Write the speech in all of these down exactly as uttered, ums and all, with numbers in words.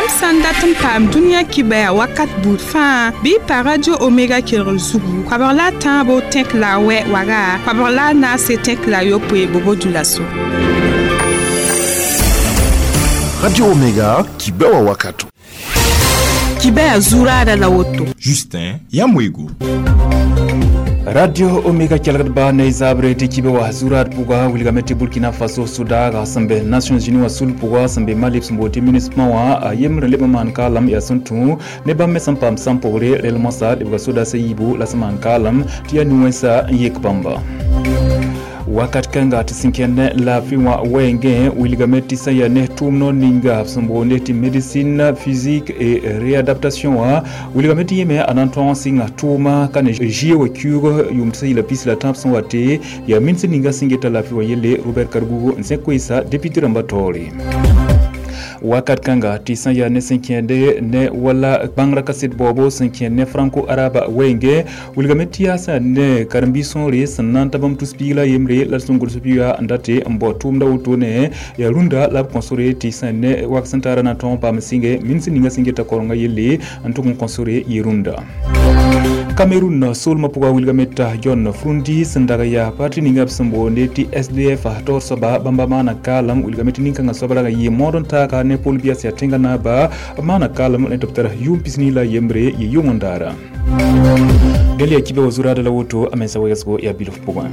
Yãmb sã n dat n paam dũniyã kibaya wakat buud fãa bɩ y pa Radio Omega kelgr zugu koabg la a tãabo tẽk la a wɛ waga koabg la a naase tẽk la a yopoe bobo dulaso. Radio Omega kibewa wakato. Kibaya zuraada la woto. Justin Yamwego. Radio Omega kelgdba ne zabre tɩ kibe wa zurad pʋga wilgame tɩ Burkina Faso sʋdaaga sẽn be Nations Unies wã sul pʋga sẽn be Mali sẽn bool tɩ MINUSMA wã a yembre leb n maan kaalam yaa sẽn tũ ne bãmb me sẽn paam sãn pʋgre rel moasã lebga sodaasã yiibu la sẽn maan kaalam tɩ yaa nu-wẽnsa n yek bãmba. Wakat kãnga tɩ sẽn kẽnd laafɩ wã wɛɛngẽ wilgame tɩ sã yaa ne tʋʋm noor ninga sẽn boonde tɩ médecine physique et réadaptation wã wilgame tɩ yẽme a na n tõog n sɩnga tʋʋma ka ne zie wa kiuug yʋʋm tɩ sã yɩla pis la tãab sẽn wa tɩ yaa minsd ninga sẽn geta laafɩ wã yelle Robert Kargougou n sẽ koeesa député rãmbã taoore. Wakat kãnga tɩ sã yaa ne sẽn kẽende ne wala bãngrã kaset baoobo sẽn kẽnd ne franco arabe wɛɛngẽ wilgame tɩ yaa sã ne karen-biis sõore sẽn na n ta bãmb tus-piig la yembre la sẽn gʋls pɩga n date n bao tʋʋmda wotone yaa rũndã la b kõ sore tɩ sã ne wak sẽn taara na n tõog n paam sɩnge minsd ninga sẽn geta korenga yelle n tʋg n kõ sore yɩ rũndã. Cameroun soolmã pʋga wilgame t'a John Frundi sẽn dag yaa parti ninga b sẽn boonde tɩ S D F taoor soaba bãmba maana kaalam wilgame tɩ nin-kãngã soab rag n yɩ mood n taaka ne Paul Biya sẽn yaa tẽngã naaba b maana kaalam ne tɩ b tara yʋʋm pisnii la yembre yɩ yʋng-n-daara. Dẽl yaa kibe wa zuraada la woto a mensã wegsgo yaa bilf pʋgẽ.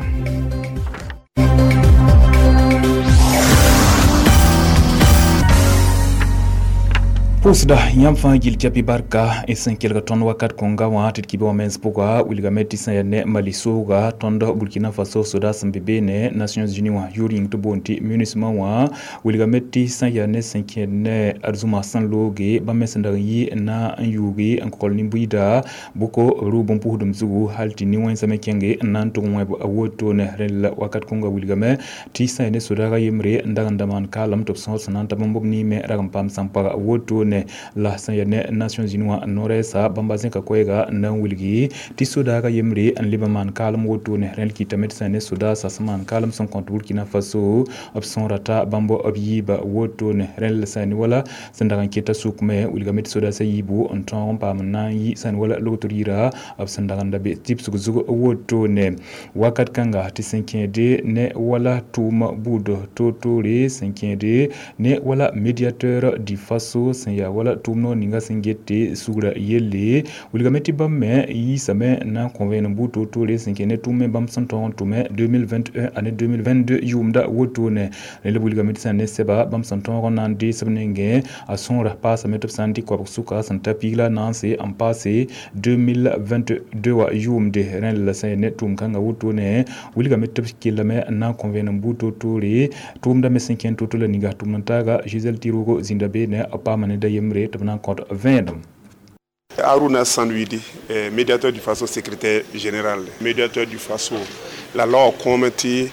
Pʋʋsda yãmb fãa gill capi barka y sẽn kelg tõnd wakat kõnga wã tɩ d kibe wã mens pʋga wilgame tɩ sã yaa ne Mali sooga tõnd Burkina Faso soda sẽn be beene Nations Unies wã yʋʋr yĩng tɩ boond tɩ MINUSMA wã wilgame tɩ sã yaa ne sẽn kẽed ne arzũma sẽn looge bãmb me sẽn dag n yɩ n na n yuuge n kogl nin-buiida bʋko rʋʋb n pʋsdem zugu hal tɩ nin-wẽnsã me kẽnge n na n tʋg wẽb a wotone rẽnd la wakat kõnga wilgame tɩ sã yaa ne sodaagã yembre n dag n da maan kaalam tɩ b sõor sẽn na n ta bãmb b niime rag n paam sãn-paga wotone la sã yaa ne Nations Unies wã no-rɛɛsa bãmba zẽka koɛɛga n na n wilgi tɩ sodaaga yembre n leb n maan kaalem wotone rẽnd kɩtame tɩ sã ne sodaasã sẽn maan kaalem sẽn kõt Burkina Faso b sõora t'a bãmb b yiiba wotone rẽnd la sã ne wala sẽn dag n keta sʋkme wilgame tɩ sodaasã yiibu n tõog n paam n na n yɩ sã ne wala logtr yira b sẽn dag n da be tɩbsg zug wotone wakat kãnga tɩ sẽn kẽede ne wala tʋʋm buud toor-toore sẽn kẽede ne wala médiateur du Faso sẽn yaa wala tʋʋm noor ninga sẽn get tɩ sugra yelle wilgame tɩ bãmb me yiisame na n kõ vẽenem buud toor-toore sẽn kẽ ne tʋʋm me bãmb sẽn tõog n tʋme deux mille vingt-et-un ane deux mille vingt-deux yʋʋmda wotone rẽnd la wilgame tɩ sã ne sɛba bãmb sẽn tõog n na n dees b nengẽ a sõora paasame tɩ b sã n dɩk koabg sʋka sẽn ta piig la naanse n paase deux mille vingt-deux wã yʋʋmde rẽnd la sã ne tʋʋm kãngã wotone wilgame tɩ b kellame n na n kõ vẽenem buud toor-toore tʋʋmda me sẽn kẽnd to-to la ninga tʋʋm n taaga Gisèle Tirogo zĩnda beene b paama ne da yembre tɩ b na n kõt vẽenem. Aruna Sandwidi, médiateur du Faso, secrétaire général. Médiateur du Faso, la loi comité,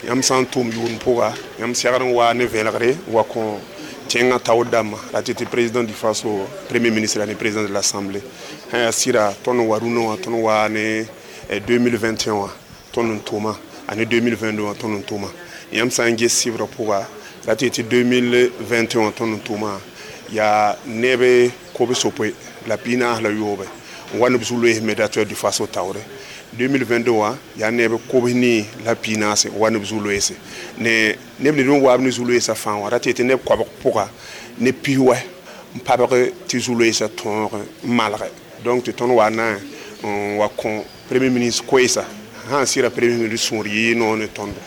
yam sã n tʋʋm yʋʋnd pʋga, yãmb segd n wa ne vẽlgre wa kõ tẽngã taoor dãmbã la tɩ tɩ président du Faso, premier ministre la ne président de l'Assemblée. Sã yaa sɩda tõnd n wa rũnã wã tõnd waa ne deux mille vingt et un wã tõnd n tʋʋma ane deux mille vingt-deux wã tõnd n tʋʋma. Yãmb sã n ges sɩbrã pʋga la tɩ tɩ deux mille vingt et un wã tõnd n tʋʋma yaa neb kob-sopoe la piig naas la yoobe n wa ne b zu-loees médiateur du Faso taoore. deux mille vingt-deux wã yaa neb kobs-nii la piig naase n wa ne b zu-loeese ne neb ned n waab ne zu-loeesã fãa wã ra tɩ tɩ neb koabg pʋga ne pis-wɛ n pabg tɩ zu-loeesã tõog n malge donc tɩ tõnd wa na n wa kõ premier ministre koeesa sã n sɩra premier ministre sũur yɩ noor ne tõndo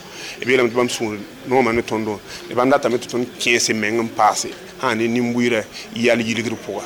b yeelame tɩ bãmb sũur noomã ne tõndo ne bãmb datame tɩ tõnd kẽes meng n paase sã ne nin-buiidã yɛl yilgr pʋga.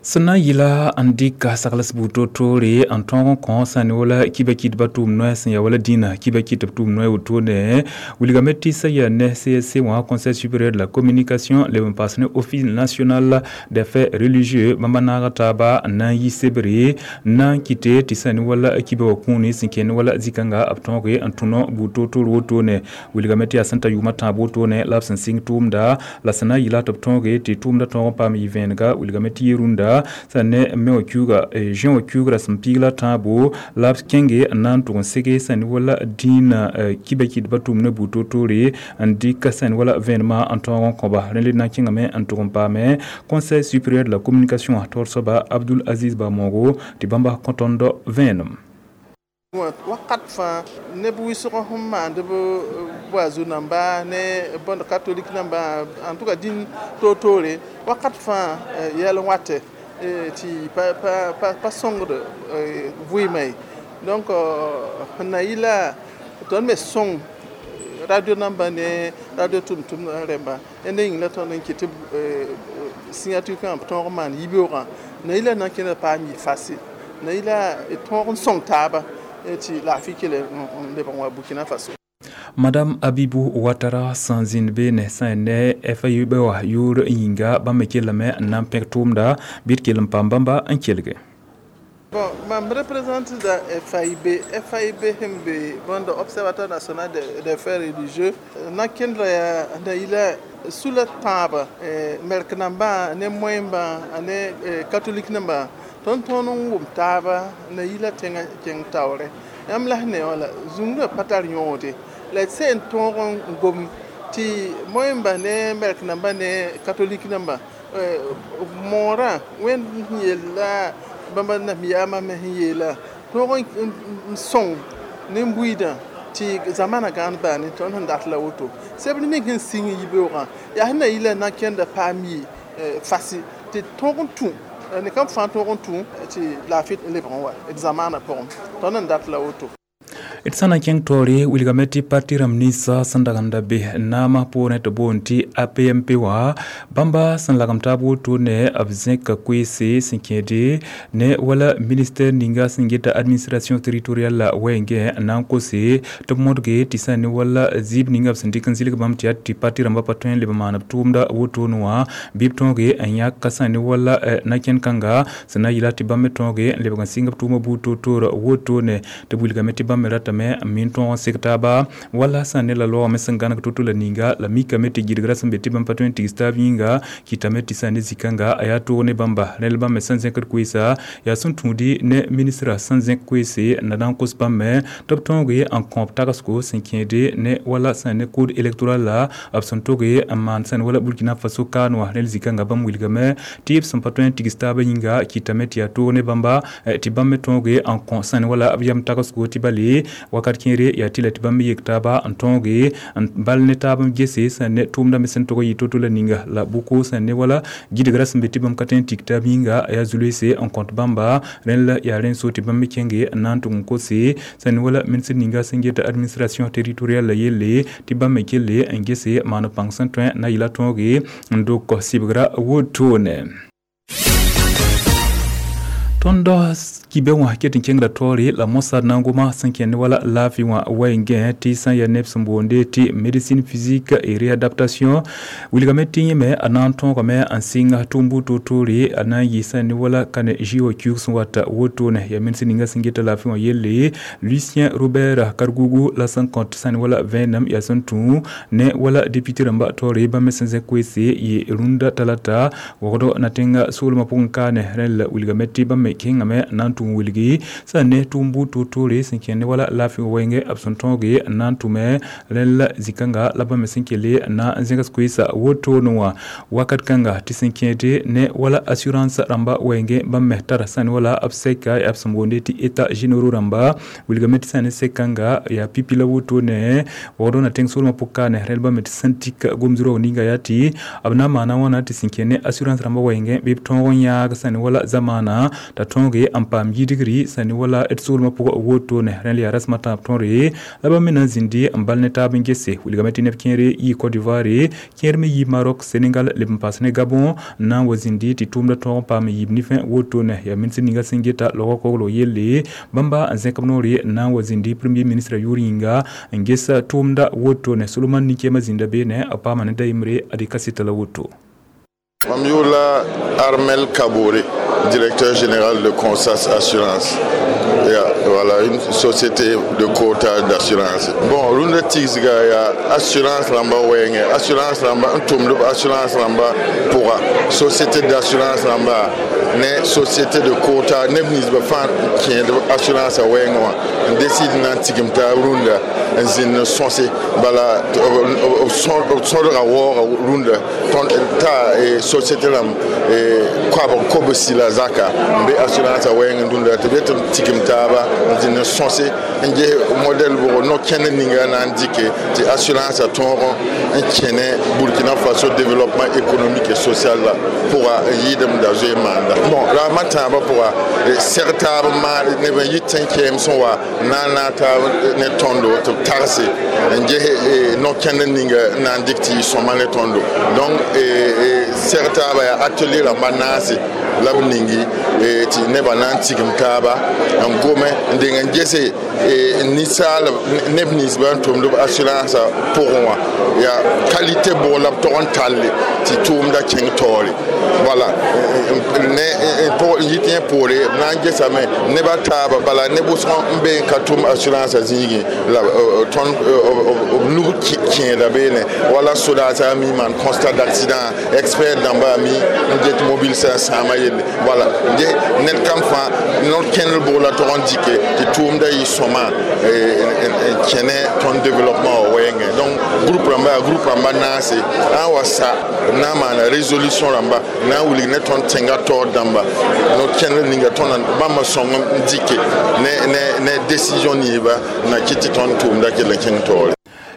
Sẽn na n yɩla n dɩka sagls buud toor-toore n tõog n kõ sã ne wala kiba kɩtbã tʋʋm noɛ sẽn yaa wala dĩnã kiba kɩtb tʋʋm noɛ wotone wilgame tɩ sã yaa ne C S C wã Conseil supérieur de la communication leb n paas ne Office national des affaires religieux bãmba naaga taaba n na n yi sebre n na n kɩte tɩ sã ne wala kiba wã kũuni sẽn kẽnd wala zĩ-kãnga b tõoge n tũno buud toor-toor wotone wilgame tɩ yaa sẽn ta yʋʋmã tãab wotone la b sẽn sɩng tʋʋmda la sẽn na n yɩla tɩ b tõoge tɩ tʋʋmda tõog n paam yɩ vẽenega wilgame tɩ yɩ rũndã yĩnga sã ne me wã kiuuga juin wã kiuugrã sẽn piig la tãabo la b kẽnge n na n tʋg n sege sã ne wala dĩinã kiba kɩdbã tʋʋm ne buud toor-toore n dɩk sã ne wala vẽenemã n tõog n kõba rẽ le na n kẽngame n tʋg n paame Conseil supérieur de la communication taoor soaba Abdul Aziz Bamogo tɩ bãmba kõ tõnd vẽenem. Wakat fãa neb wɩsg sẽn maand b boazu namba ne bõnd catholique namba, en tout cas dĩn toor-toore wakat fãa yɛl n watɛ tɩ pa pa sõngd vɩɩmã ye. Donc sẽn na yɩ la tõnd me sõng radio namba ne radio tʋm-tʋmd rẽmba ẽnda yĩng la tõnd n kɩt tɩ signature kãngã b tõog n maan yibeoogã na yɩ la na n kẽnda paam yɩ facile na yɩ la d tõog n sõng taaba tɩ laafɩ kell n lebg n wa Burkina Faso. Madame Abibou Ouattara sẽn zĩnd beene sã n ne F I B wã yʋʋr yĩnga bãmb me kellame n na n pẽg tʋʋmda bɩ d kell n paam bãmba n kelge. Bon, mam représente da F A I B. F A I B sẽn be bõnd Observatoire national des faits religieux na kẽndra yaa na yɩla sula tãabã mɛrk nambã ne moẽmbã ne catholique nambã tõnd tõnd n wʋm taaba na yila tẽngã kẽng taoore yãmb la sẽn ne wã la zũngrã pa tar yõode la d sẽn tõog n gom tɩ moẽmba ne mɛrk nambã ne catholique nambã moorã wẽnd sẽn yella bãmba nam-yaamã me sẽn yeela tõog n sõng nin-buiidã tɩ zamana gãan baane tõnd sẽn dat la woto sebr ning sẽn sĩng yibeoogã yaa sẽn na yɩ la na kẽnda paam yɩ fasi tɩ tõog n tũ ne kam fãa tõog n tũ tɩ laafɩ lebg n wa d zamaanã pʋgẽ tõnd n dat la woto. D sã na n kẽng taoore wilgame tɩ parti rãmb ninsã sẽn dag n da be naamã poorẽ tɩ boond tɩ A P M P wã bãmba sẽn lagem taab woto ne b zẽka koeese sẽn kẽede ne wala ministère ninga sẽn geta administration territoriale la wɛɛngẽ n na n kose tɩ b modge tɩ sã ne wala zɩɩb ninga b sẽn dɩk n zɩlg bãmb tɩ yaa tɩ parti rãmbã pa tõe n leb n maan b tʋʋmda wotone wã bɩ b tõoge n yãk sã ne wala na-kẽnd kãnga sẽn na n yɩla tɩ bãmb me tõoge n lebg n sɩng b tʋʋmã buud toor-toor wotone tɩ b wilgame tɩ bãmb me ratame n min tõog n sek taaba wala sã ne la loogame sẽn gãneg to-to la ninga la mikame tɩ gɩdgra sẽn be tɩ bãmb pa tõe n tigs taab yĩnga kɩtame tɩ sã ne zĩ-kãnga a yaa toog ne bãmba rẽl bãmb me sẽn zẽkd koeesa yaa sẽn tũudi ne ministra sẽn zẽk koeese n na na n kos bãmb me tɩ b tõoge n kõob tagsgo sẽn kẽede ne wala sã ne code électoral la b sẽn toge n maan sã ne wala Burkina Faso kaan wã rẽl zĩ-kãnga bãmb wilgame tɩ b sẽn pa tõe n tigs taabã yĩnga kɩtame tɩ yaa toog ne bãmba tɩ bãmb me tõoge n kõ sã ne wala b yam tagsgo tɩ bale wakat kẽere yaa tɩ la tɩ bãmb me yek taaba n tõoge n bal ne taab n gese sã ne tʋʋmda me sẽn tog n yɩ to-to la ninga la bʋko sã ne wala gɩdgra sẽn be tɩ bãmb ka tõe n tik taab yĩnga yaa zulese n kõt bãmba rẽnd la yaa rẽnd so tɩ bãmb me kẽnge n na n tʋg n kose sã ne wala ministre ninga sẽn geta administration territoriale la yelle tɩ bãmb me kelle n gese maan pãng sẽn tõe na yɩla tõoge n dok sɩbgra wotone. Tõnd kibe wã ket n kẽngra taoore la mosad na n goma sẽn kẽnd wala laafɩ wã wɛɛngẽ tɩ sã n yaa neb sẽn boonde tɩ médecine physique et réadaptation wilgame tɩ yẽme a na n tõogame n sɩng tʋʋm buud toor-toore a na n yɩ sã ne wala kane ji wã kiuug sẽn wata wotone yaa ministre ninga sẽn geta laafɩ wã yelle Lucien Robert Kargougou la sẽn kõt sã ne wala vẽenem yaa sẽn tũ ne wala député rãmba taoore bãmb me sẽn zẽk koeese yɩ rũndã talata wogdo na tẽnga soolmã pʋgẽ kaane rẽnd la wilgame tɩ bãmb me kẽngame n na n tʋ n wilgi sã n ne tʋʋm buud toor-toore sẽn kẽnd ne wala laafɩ wɛɛngẽ b sẽn tõoge n na n tʋme rẽnd la zĩ-kãnga la bãmb me sẽn kelle n na n zẽgs koeesa wotone wã wakat kãnga tɩ sẽn kẽede ne wala assurance rãmba wɛɛngẽ bãmb me tara sã ne wala b sɛka yaa b sẽn boonde tɩ état généraux rãmba wilgame tɩ sã ne sɛk-kãnga yaa pipi la wotone wogd na tẽng soolmã pʋg kaane rẽnd bãmb me tɩ sẽn tik gom-zʋrg ninga yaa tɩ b na n maana wãna tɩ sẽn kẽnd ne assurance rãmba wɛɛngẽ bɩ b tõog n yãag sã ne wala zamaana t'a tõoge n paam yidgri sã ne wala d soolmã pʋgã wotone rẽnd yaa rasmã tãab tõre la bãmb me na n zĩndi n bal ne taab n gese wilgame tɩ neb kẽere yɩ Côte d'Ivoire kẽer me yɩ Maroc Sénégal leb n paas ne Gabon n na n wa zĩndi tɩ tʋʋmda tõog n paam yiib nifẽ wotone yaa ministre ninga sẽn geta logã koglg yelle bãmba n zẽk b noore n na n wa zĩndi premier ministre yʋʋr yĩnga n ges tʋʋmda wotone Solomon nin-kẽemã zĩnda beene b paama ne da yembre ad kaseta la woto. Mam yʋʋr Armel Kabore, directeur général de Consas Assurance. Voilà, une société de courtage d'assurance. Bon, rũndã tigsga yaa assurance rãmba wɛɛngẽ, assurance rãmba n tʋmd b assurance rãmba pʋga, société d'assurance rãmba ne société de courtage, neb ninsbã fãa kẽed assurance a wɛɛngẽ wã n décide na n tigim taab rũndã n zĩnd n sõse bala b sõdga waooga rũndã t'a société rãmb koabg kobsi la zaka n be assurance a wɛɛngẽ rũndã tɩ b yet n tigim taaba n zĩnd n sõse n ges modɛl bʋgo no-kẽnd ninga na n dɩke tɩ assurance a tõog n kẽne Burkina Faso développement économique et social la pʋga n yɩɩdem da zoe maanda. Bon, raamã tãabã pʋga seg taab n maan neb n yɩ tẽn-kɛɛm sẽn wa na n naag taab ne tõndo tɩ b tagse n ges no-kẽnd ninga n na n dɩk tɩ yɩ sõma ne tõndo. Donc seg taaba yaa atelier rãmba naase la b ningi tɩ nebã na n tigim taaba n gome n deng n gese ninsaal neb ninsbã n tʋmd b assurance pʋgẽ wã yaa qualité bʋg la b tog n talle tɩ tʋʋmda kẽng taoore. Wala ne n yit yẽ poore b na n gesame nebã taaba bala ne wʋsg n be n ka tʋm assurance zĩigẽ la tõnd b nug kẽeda beene wala sodaasã mi maan constat d'accident, expert dãmba mi n get mobile sã n sãama yelle. Wala ned kam fãa no-kẽndr bʋg la tog n dɩke tɩ tʋʋmda yɩ sõma n kẽne tõnd développement wã wɛɛngẽ. Donc groupe rãmba yaa groupe rãmba naase n wa sa b na n maana résolution rãmba na n wilg ne tõnd tẽnga taoor dãmba no-kẽndr ninga tõnd bãmba sõng n dɩke ne ne ne décision ninsba na kɩt tɩ tõnd tʋʋmda kell n kẽng taoore.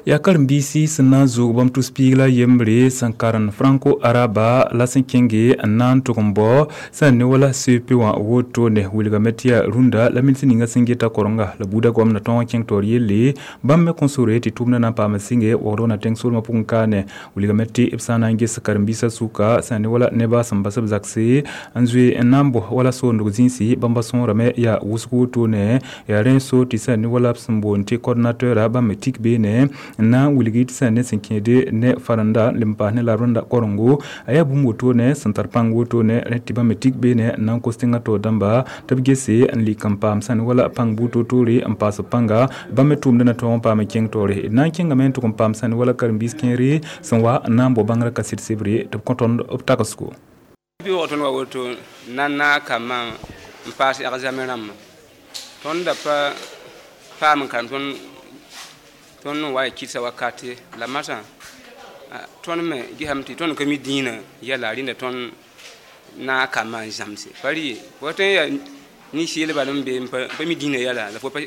Yaa karen-biisi sẽn na n zoog bãmb tus-piig la yembre sẽn karen franco-araba la sẽn kẽnge n na n tʋg n bao sẽn ne wala C E P wã wotone wilgame tɩ yaa rũndã la minis ninga sẽn geta korenga la buudã goamda tõog n kẽng taoor yelle bãmb me kõn sore tɩ tʋʋmdã na n paam sɩnge waoodg na tẽng soolmã pʋgẽ kaane. Wilgame tɩ b sã n na n ges karen-biisã sʋka sẽn ne wala nebã sẽn bas b zakse n zoe n na n bos wala soondg zĩisi bãmba sõorame yaa wʋsg wotone yaa rẽ so tɩ sẽn ne wala b sẽn boond tɩ coordinateur bãmb me tik beene n na n wilgi tɩ sẽn ne sẽn kẽede ne farenda n leb n paas ne la rẽnda korengo a yaa bũmb wotone sẽn tar pãng wotone rẽ tɩ bãmb me tik beene n na n kos tẽngã taoor dãmba tɩ b gese n lik n paam sẽn wala pãng buud toor-toore n paas b pãnga bãmb me tʋʋmdã na tõog n paam n kẽng taoore d na n kẽngame n tʋg n paam sẽn wala karen-biis kẽere sẽn wa n na n bao bãngrã kaset sebre tɩ b kõ tõnd b tagsgo. Bɩ tõnd wa woto na n naag kambã n paas examen rãmbã tõnd da pa paam n karem tõnd tõnd n wa y kɩdsa wakate la masã tõnd me gesame tɩ tõnd ka mi dĩinã yɛla rẽnda tõnd naag kambã n zãmse pa rɩ fo tõe n yaa nin-seelba n be n pa mi dĩinã yɛla la fo pa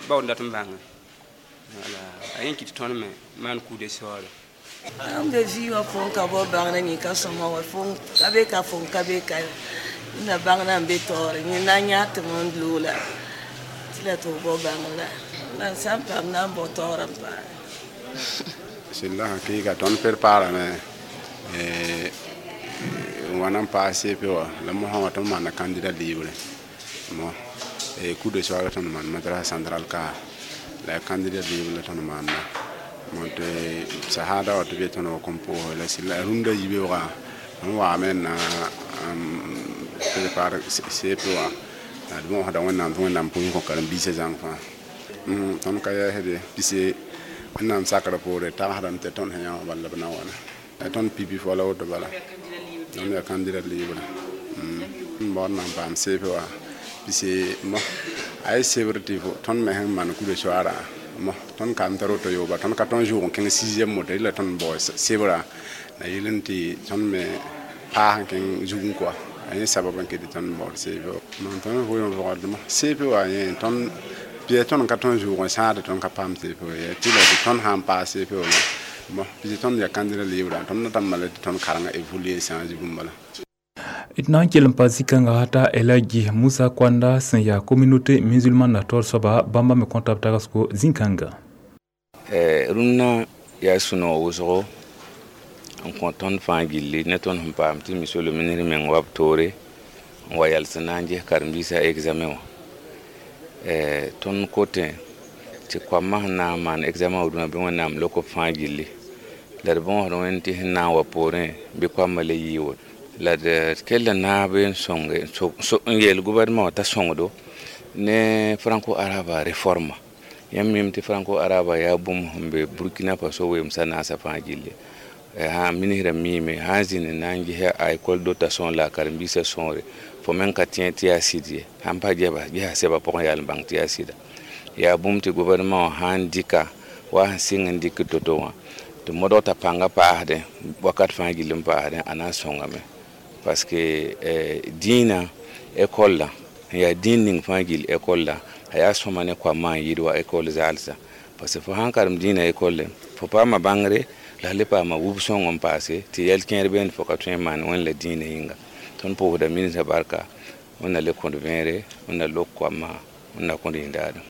baood dat n bãnga wala a yẽ kɩt tõnd me maan kuude saoore. An be vi wã fo n ka bao bãngr yẽ ka sõma wa fo ka be ka fo n ka be ka na bãngr n be taoore yẽ na n yãag tɩ m loola tɩ la tɩ f bao bãngr la n sã n paam na n bao taoor n paame. Sẽn la sã keega tõnd préparame n wa na n paas C E P wã la mosã wã tõnd maanda candidat libre mo cours de soir tõnd maan madrasa central ka la candidat libre la tõnd maanda mo tɩ sahada wa tɩ be tõnd wa kõn pʋʋse la sɩla rũndã yibeoogã n waame n na prépare C E P wã la d võosda wẽnnaam tɩ wẽnnaam pʋʋs kõ karen-biisã zãng fãa. Tõnd ka yɛɛsde pise wẽnnaam sakrã poore tagsdame tɩ tõnd sẽn yã wã bala b na wana tõnd pipi wala woto bala tõnd yaa candidat libre n baood na n paam C E P wã pise mo a ye sebr tɩ tõnd me sẽn maan kude soaarã mo tõnd ka n tar woto yooba tõnd ka tõnd zʋʋg n kẽng sixième moto rɩla tõnd bao sebrã la yɩl n tɩ tõnd me paas n kẽng zugẽ koa a yẽ sabab n ket tɩ tõnd baood C E P wã non tõnd vʋʋm vʋgdmã C E P wã yẽ tõnd pɩ tõnd ka tõnd zʋʋg n sãade tõnd ka paam C E P wã tɩ la tɩ tõnd sã n paas C E P wã bon pis tõnd yaa candidat libre tõnd na tãmba la tɩ tõnd karengã évoluer change bũmb bala. D na n kell n pa zĩ-kãnga t'a Elhadji Musa Koanda sẽn yaa communauté musulmane na taoor soaba bãmba me kõta b tagsgo zĩ-kãnga. Rũnnã yaa sũ-noog wʋsgo n kõ tõnd fãa gilli ne tõnd sẽn paam tɩ monsieur le ministre meng wa b toore n wa yals n na n ges karen-biisã examen wã. Tõnd kotẽ tɩ koamã sẽn na n maan examen wã dũnã bɩ Wẽnnaam lok b fãa gilli la d võosd wẽnd tɩ sẽn na n wa poorẽ bɩ koamã le yɩɩ woto la d kell n naab n sõnge n yeel gouvernement wã t'a sõngdo. Ne franco arabe réforme yãmb mim tɩ franco arabe yaa bũmb sẽn be Burkina Faso weemsã naasã fãa gilli. Sã ministrã miime sã n zĩnd n na n ges a école dotation la a karen-biisã sõore fo meng ka tẽ tɩ yaa sɩd ye sãn pa gesa sɛbã pʋgẽ yaa n bãng tɩ yaa sɩda yaa bũmb tɩ gouvernement wã sã n dɩka wa sẽn sɩng n dɩk to-to wã tɩ modg t'a pãngã paasdẽ wakat fãa gill n paasdẽ a na n sõngame parce que dĩinã école la n yaa dĩin ning fãa gill école la a yaa sõma ne koamã n yɩɩd wa école zaalsã parce que fo sãn karem dĩinã école fo paama bãngre la le paama wub sõng n paase tɩ yɛl kẽer beene fo ka tõe n maan wẽnd la dĩinã yĩnga tõnd pʋʋsda ministrã barka wẽnna le kõd vẽere wẽnna lok koamã wẽnna kõd yĩndaadem.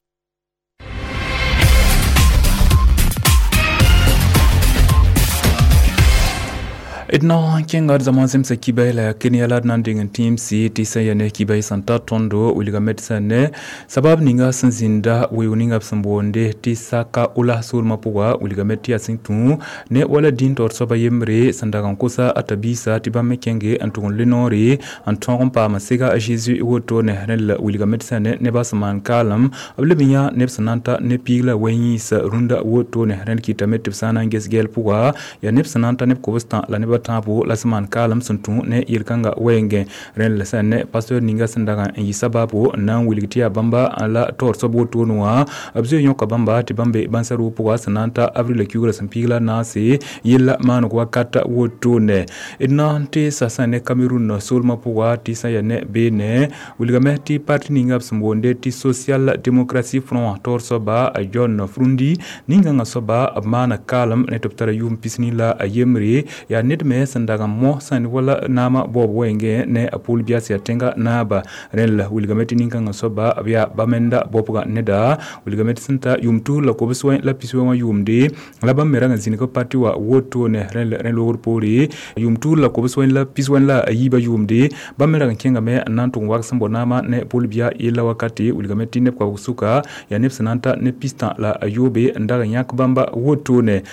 D na n kẽnga d zãma zemsa kibay la Kenya la d na n deng n tẽemse tɩ sã ya ne kibay sẽn ta tõndo wilgame tɩ sã ne sabab ninga sẽn zĩnda weoog ninga b sẽn boonde tɩ saka ola soolmã pʋga wilgame tɩ yaa sẽn tũ ne wala dĩn taoor soaba yembre sẽn dag n kosa a tabiisa tɩ bãmb me kẽnge n tʋg n le noore n tõog n paam sega a Zeezi wotone rẽnd la wilgame tɩ sã ne nebã sẽn maan kaalem b leb n yã neb sẽn na n ta ne piig la wɛ-yĩns rũndã wotone rẽnd kɩtame tɩ b sã n na n ges gɛɛl pʋga yaa neb sẽn na n ta neb kobs-tã la neb tãabo la sẽn maan kaalem sẽn tũ ne yel-kãngã wɛɛngẽ rẽnd la sã ne pasteur ninga sẽn dag n yɩ sabaabo n na n wilg tɩ yaa bãmba la taoor soab wotone wã b zoe yõka bãmba tɩ bãmb be bãnsa roog pʋga sẽn na n ta avril kiugrã sẽn piig la naase yella maaneg wakat wotone d na n tɩ sa sã ne Cameroun soolmã pʋga tɩ sã ya ne beene wilgame tɩ parti ninga b sẽn boonde tɩ Social Démocratie Front wã taoor soaba John Frundi ningãngã soaba b maana kaalem ne tɩ b tara yʋʋm pisni la a yembre yaa ned me sẽn dag n mos sã ne wala naamã baoob wɛɛngẽ ne a Paul Biya sẽn yaa tẽngã naaba rẽnd la wilgame tɩ nin-kãngã soaba b yaa bamenda bobga neda wilgame tɩ sẽn ta yʋʋm tus la kobs wẽ la pis wɛ wã yʋʋmde la bãmb me rag n zĩnig parti wã wotone rẽnd rẽ loogr poore yʋʋm tus la kobs wẽ la pis wẽ la a yiibã yʋʋmde bãmb me rag n kẽngame n na n tʋg n wag sẽn bao naamã ne Paul Biya yella wakate wilgame tɩ neb koabg sʋka yaa neb sẽn na n ta ne pistã la a yoobe n dag n yãk bãmba wotone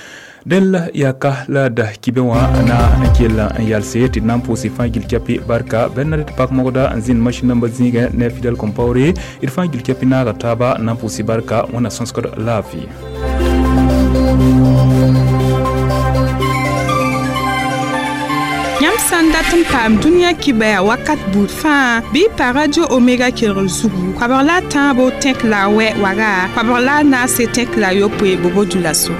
dẽn la yaa ka la da kibe wã na n kell n yalse tɩ d na n pʋʋse fãa gil kɛpɩ barka bɛl na tɩ pak mogda n zĩnd masĩn nambã zĩigẽ ne Fidel Compaoré d fãa gil kɛpɩ naaga taaba n na n pʋʋse barka wẽnna sõsgd laafɩ. Yãmb sã n dat n paam dũniyã kibaya wakat buud fãa bɩ y pa Radio Omega kelgr zugu koabg la a tãabo tẽk la a wɛ waga koabg la a naase tẽk la a yopoe bobo dulaso.